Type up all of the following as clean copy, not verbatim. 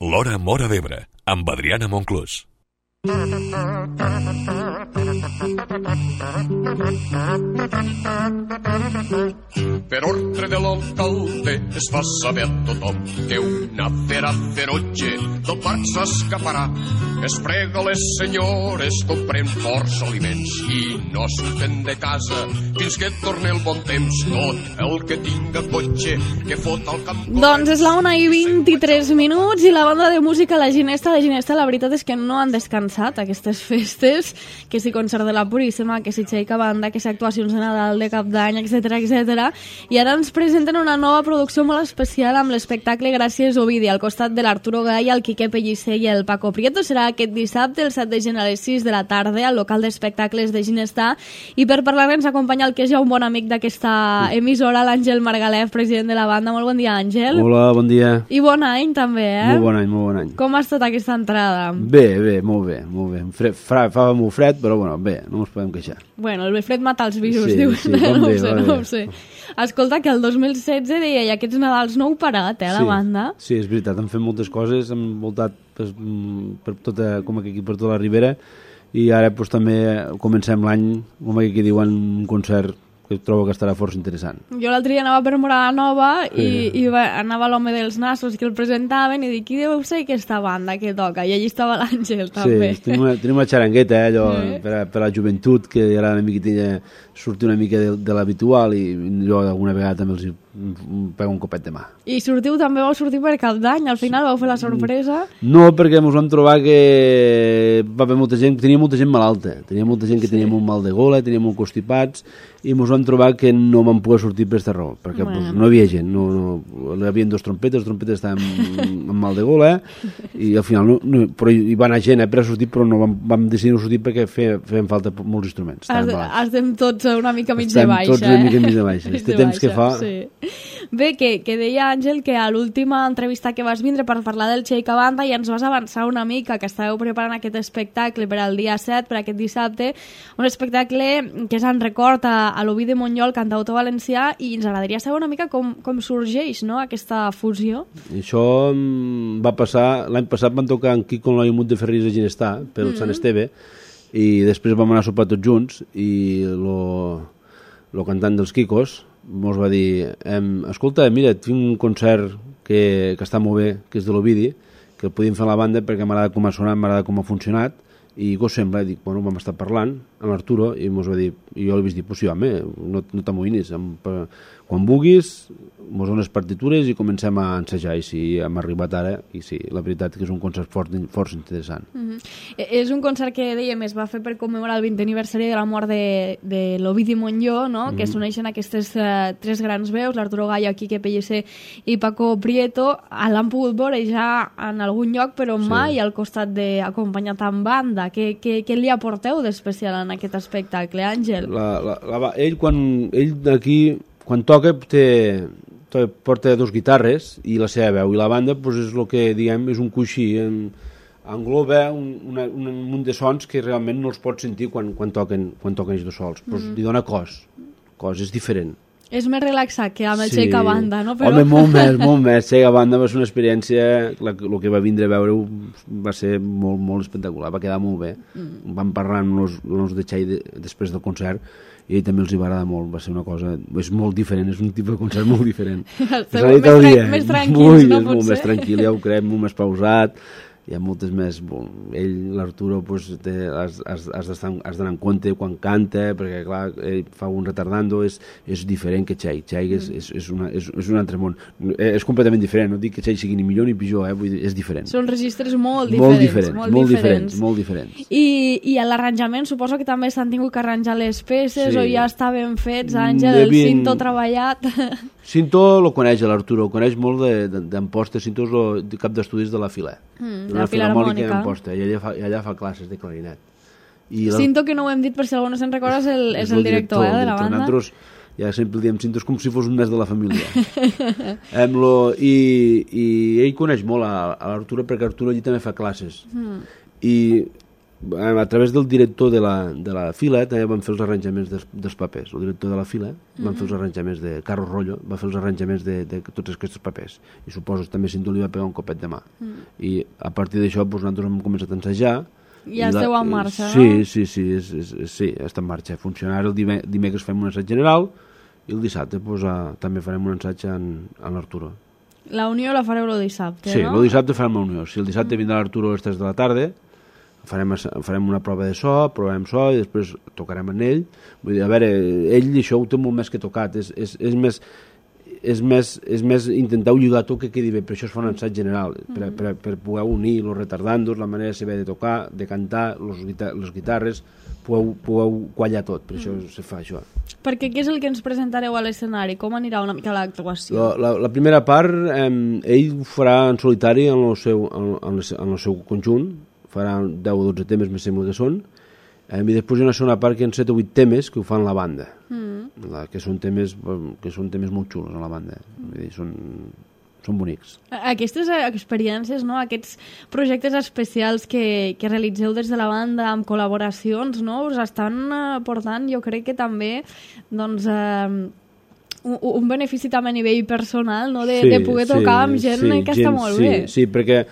L'Hora Móra d'Ebre, amb Adriana Monclús. Per ordre de l'alcalde es fa saber a tothom que una fera feroge del parc s'escaparà. Es prega les senyores compren forts aliments i no surten de casa fins que torni el bon temps. Tot el que tinga cotxe que fot al camp. Doncs és la 1:23 i la banda de música La Ginesta, la veritat és que no han descansat aquestes festes, que si concert de la Puríssima, que si xeica banda, que si actuacions de Nadal, de Cap d'Any, etc. I ara ens presenten una nova producció molt especial amb l'espectacle Gràcies Ovidi, al costat de l'Arturo Gay, el Quique Pellicer i el Paco Prieto. Serà aquest dissabte, el 7 de gener a les 6 de la tarda, al local d'espectacles de Ginestà. I per parlar ens acompanya el que és ja un bon amic d'aquesta emissora, l'Àngel Margalef, president de la banda. Molt bon dia, Àngel. Hola, bon dia. I bon any, també, eh? Molt bon any. Com ha estat aquesta entrada? Bé, molt bé. Fa molt fred, però bueno, bé, no ens podem queixar. Bueno, el fred mata els virus, sí, diuen. Sí, no ho sé. Escolta, que el 2016 deia, i aquests Nadals no heu parat, la banda? Sí, és veritat, hem fet moltes coses, hem voltat per tota, com aquí, per tota la Ribera, i ara doncs, també comencem l'any, com aquí diuen, un concert que trobo que estarà força interessant. Jo l'altre dia anava per Morada Nova i anava l'home dels nassos que el presentaven i dic, qui deu ser aquesta banda que toca? I allí estava l'Àngel, també. Sí, tenim una xarangueta, allò, per la joventut, que ara una miqueta sortir una mica de l'habitual, i jo alguna vegada també els pego un copet de mà. I vau sortir per Cap d'Any? Al final vau fer la sorpresa? No, perquè ens vam trobar que va haver molta gent, tenia molta gent malalta, tenia molta gent que tenia molt mal de gola, tenia molt constipats, i ens vam trobar que no vam poder sortir per aquesta raó, perquè no hi havia gent, hi havia dos trompetes, estaven amb mal de gola, i al final però hi va anar gent per a sortir, però no vam decidir no sortir perquè feien falta molts instruments. Estem tots una mica mig de baixa. Estem tots una mica mig de baixa. Este temps que fa... Bé, que deia Àngel que a l'última entrevista que vas vindre per parlar del Xeica Banda ja ens vas avançar una mica que estàveu preparant aquest espectacle per al dia 7, per aquest dissabte, un espectacle que és en record a l'Ovidi Montllor, cantautor valencià, i ens agradaria saber una mica com sorgeix, no?, aquesta fusió. Això va passar, l'any passat van tocar en Quico en l'Aimut de Ferris a Ginestà, pel Sant Esteve, i després vam anar a sopar tots junts, i el cantant dels Quicos mos va dir, escolta, mira, tinc un concert que està molt bé, que és de l'Ovidi, que el podíem fer a la banda perquè m'agrada com ha sonat, m'agrada com ha funcionat, i què us sembla? I dic, bueno, vam estar parlant amb l'Arturo i mos va dir, i jo li vaig dir, pues sí, home, no t'amoïnis, quan vulguis mos dones partitures i comencem a ensejar, i sí, hem arribat ara, i sí, la veritat que és un concert força interessant. És un concert que, dèiem, es va fer per commemorar el 20è aniversari de la mort de l'Ovidi Montllor, no?, que s'uneixen aquestes tres grans veus, l'Arturo Gay, Quique Pellicer i Paco Prieto. L'han pogut veure ja en algun lloc, però mai al costat d'acompanyat amb banda. Què li aporteu d'especial en aquest espectacle, Àngel? Ell d'aquí, quan toca, porta dos guitarres i la seva veu, i la banda és el que diguem, és un coixí, engloba un munt de sons que realment no els pots sentir quan toquen ells dos sols, però li dona cos, és diferent. És més relaxat que amb el Xeica Banda, no? Home, molt més. Xeica Banda va ser una experiència, el que va vindre a veure-ho va ser molt, molt espectacular, va quedar molt bé. Vam parlar amb els de Xei després del concert, i ell també els hi va agradar molt, va ser una cosa, és molt diferent, és un tipus de concert molt diferent. Més tranquils, no pot ser? És molt més tranquil, ja ho creiem, molt més pausat, hi ha moltes més... Ell, l'Arturo, has d'anar en compte quan canta, perquè, clar, ell fa un retardando, és diferent que Xei. Xei és un altre món. És completament diferent, no dic que Xei sigui ni millor ni pitjor, vull dir, és diferent. Són registres molt diferents. Molt diferents. I a l'arranjament suposo que també s'han tingut que arranjar les peces, o ja estaven fets, Àngel, el cinto treballat... Cinto lo coneix l'Arturo, el coneix molt d'Amposta. Cinto és el cap d'estudis de la Filè. La Filarmònica d'Amposta, i allà fa classes de clarinet. Cinto, que no ho hem dit per si algú no se'n recorda, és el director de la banda. Nosaltres ja sempre diem Cinto, és com si fos un mes de la família. I ell coneix molt a l'Arturo, perquè Arturo allí també fa classes. I a través del director de la fila també van fer els arranjaments dels papers. El director de la fila van fer els arranjaments de Carlos Rollo, va fer els arranjaments de tots aquests papers. I suposo que també Cinto li va pegar un copet de mà. I a partir d'això nosaltres hem començat a ensejar. Ja esteu en marxa, no? No? Sí, està en marxa. Funcionar el dimecres fem un assaig general i el dissabte també farem un assaig en l'Arturo. La Unió la fareu el dissabte, sí, no? Sí, el dissabte farem la Unió. Si el dissabte vindrà l'Arturo a les 3 de la tarda, farem una prova de so, provarem so i després tocarem en ell. Vull dir, a veure, ell això ho té molt més que tocat. És més intentar lligar tot que quedi bé, per això es fa un ensaig general, per poder unir els retardandos, la manera de tocar, de cantar, les guitarres, poder quallar tot, per això se fa això. Perquè què és el que ens presentareu a l'escenari? Com anirà una mica l'actuació? La primera part, ell ho farà en solitari en el seu conjunt, farà 10 o 12 temes, més sembla que són, i després hi ha una segona part que hi ha 7 o 8 temes que ho fan la banda, que són temes molt xulos a la banda, vull dir, són bonics. Aquestes experiències, no? Aquests projectes especials que realitzeu des de la banda amb col·laboracions, no? Us estan portant, jo crec que també, doncs, un benefici també a nivell personal, no? De poder tocar amb gent que està molt bé. Sí, perquè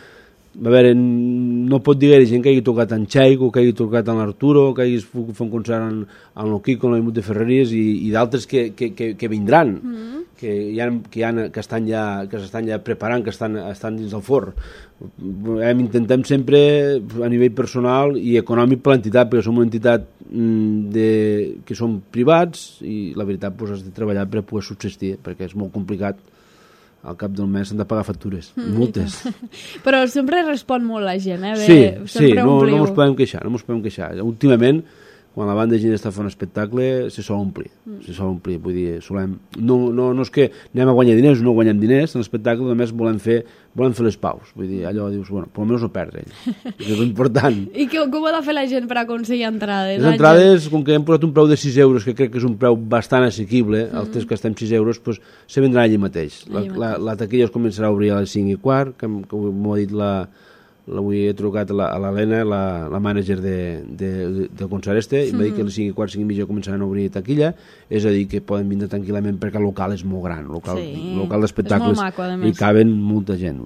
a veure, no pot dir que hi ha gent que hagi tocat en Xaico, que hagi tocat en l'Arturo, que hagi fet un concert en el Kiko, en l'Aimut de Ferreries i d'altres que vindran, que s'estan ja preparant, que estan dins del forn. Intentem sempre, a nivell personal i econòmic per l'entitat, perquè som una entitat que som privats i la veritat has de treballar per poder subsistir, perquè és molt complicat. Al cap del mes s'han de pagar factures, moltes. Però sempre respon molt la gent, eh? Sí, no ens podem queixar. Últimament, quan la banda de gent està fent un espectacle, se sol omplir. Vull dir, no és que anem a guanyar diners o no guanyem diners, en l'espectacle només volem fer les paus. Vull dir, allò dius, bueno, per almenys no perdre. És important. I com ha de fer la gent per aconseguir entrades? Les entrades, com que hem posat un preu de 6 euros, que crec que és un preu bastant assequible, els tres que estem 6 euros, doncs se vendrà allí mateix. La taquilla es començarà a obrir a les 5:15, que m'ho ha dit avui he trucat a l'Helena, la mànager del concert i m'ha dit que a les 5:15, 5:30 començaran a obrir taquilla, és a dir, que poden vindre tranquil·lament perquè el local és molt gran, el local d'espectacles, i caben molta gent.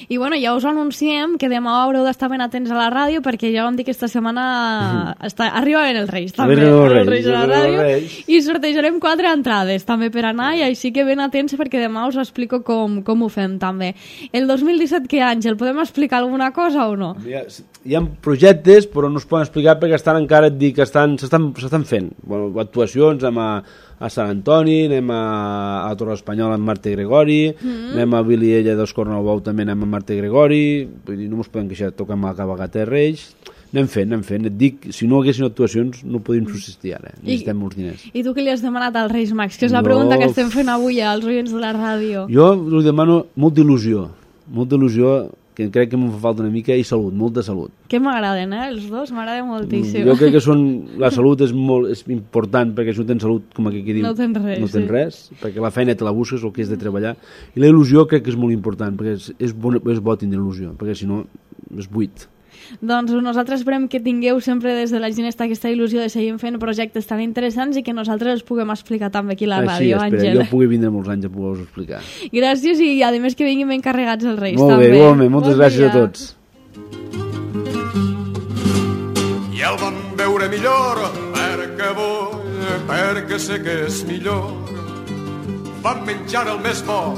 I bueno, ja us anunciem que demà haureu d'estar ben atents a la ràdio perquè ja vam dir que aquesta setmana arribaven els Reis, també, els Reis a la ràdio, i sortejarem 4 entrades també per anar, i així que ben atents perquè demà us explico com ho fem també. El 2017, què, Àngel? Podem explicar alguna cosa o no? Hi ha projectes, però no es poden explicar perquè estan encara, et dic, s'estan fent. Bueno, actuacions, anem a Sant Antoni, anem a Torre Espanyol amb Marta Gregori, anem a Vilella dels Cornelbou, també anem a Marta Gregori, vull dir, no ens podem queixar, toquem a Cabalgata de Reis, anem fent. Et dic, si no haguessin actuacions no podríem subsistir ara, necessitem molts diners. I tu què li has demanat als Reis Mags? Que és la pregunta que estem fent avui als oients de la ràdio. Jo li demano molta il·lusió, que crec que m'ho fa falta una mica, i salut, molta salut. Que m'agraden, els dos, m'agraden moltíssim. Jo crec que la salut és important, perquè si no tens salut, com aquí diu, no tens res, perquè la feina te la busques, el que és de treballar, i la il·lusió crec que és molt important, perquè és bo tindre il·lusió, perquè si no és buit. Doncs nosaltres esperem que tingueu sempre des de la Ginesta aquesta il·lusió de seguir fent projectes tan interessants i que nosaltres els puguem explicar també aquí a la ràdio, Àngel. Jo pugui vindre molts anys a poder-vos explicar. Gràcies, i a més que vinguin ben carregats els Reis. Molt bé, igualment, moltes gràcies a tots. I el vam veure millor perquè sé que és millor. Vam menjar el més bo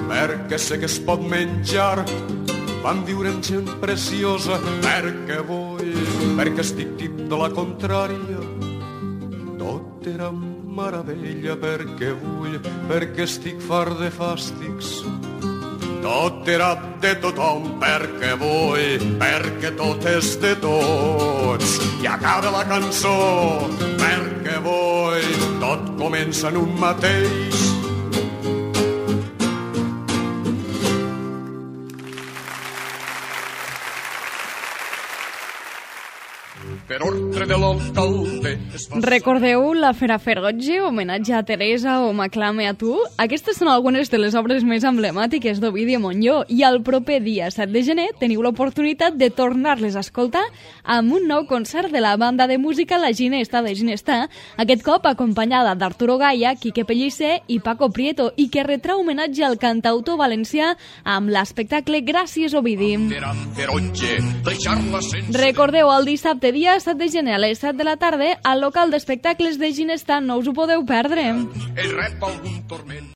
perquè sé que es pot menjar. Vam viure amb gent preciosa perquè estic tip de la contrària. Tot era meravella perquè estic fart de fàstics. Tot era de tothom perquè tot és de tots. I acaba la cançó perquè tot comença en un mateix. per ordre de l'alcalde es fa... Recordeu la Fera Ferotge, homenatge a Teresa o M'aclame a tu? Aquestes són algunes de les obres més emblemàtiques d'Ovidi Montllor i el proper dia 7 de gener teniu l'oportunitat de tornar-les a escoltar amb un nou concert de la banda de música La Ginesta de Ginestà, aquest cop acompanyada d'Arturo Gaia, Quique Pellicer i Paco Prieto, i que retrà homenatge al cantautor valencià amb l'espectacle Gràcies Ovidi. Recordeu, el dissabte dia 7 de gener a les 7 de la tarda al local d'espectacles de Ginestà, no us ho podeu perdre. Ell rep algun torment.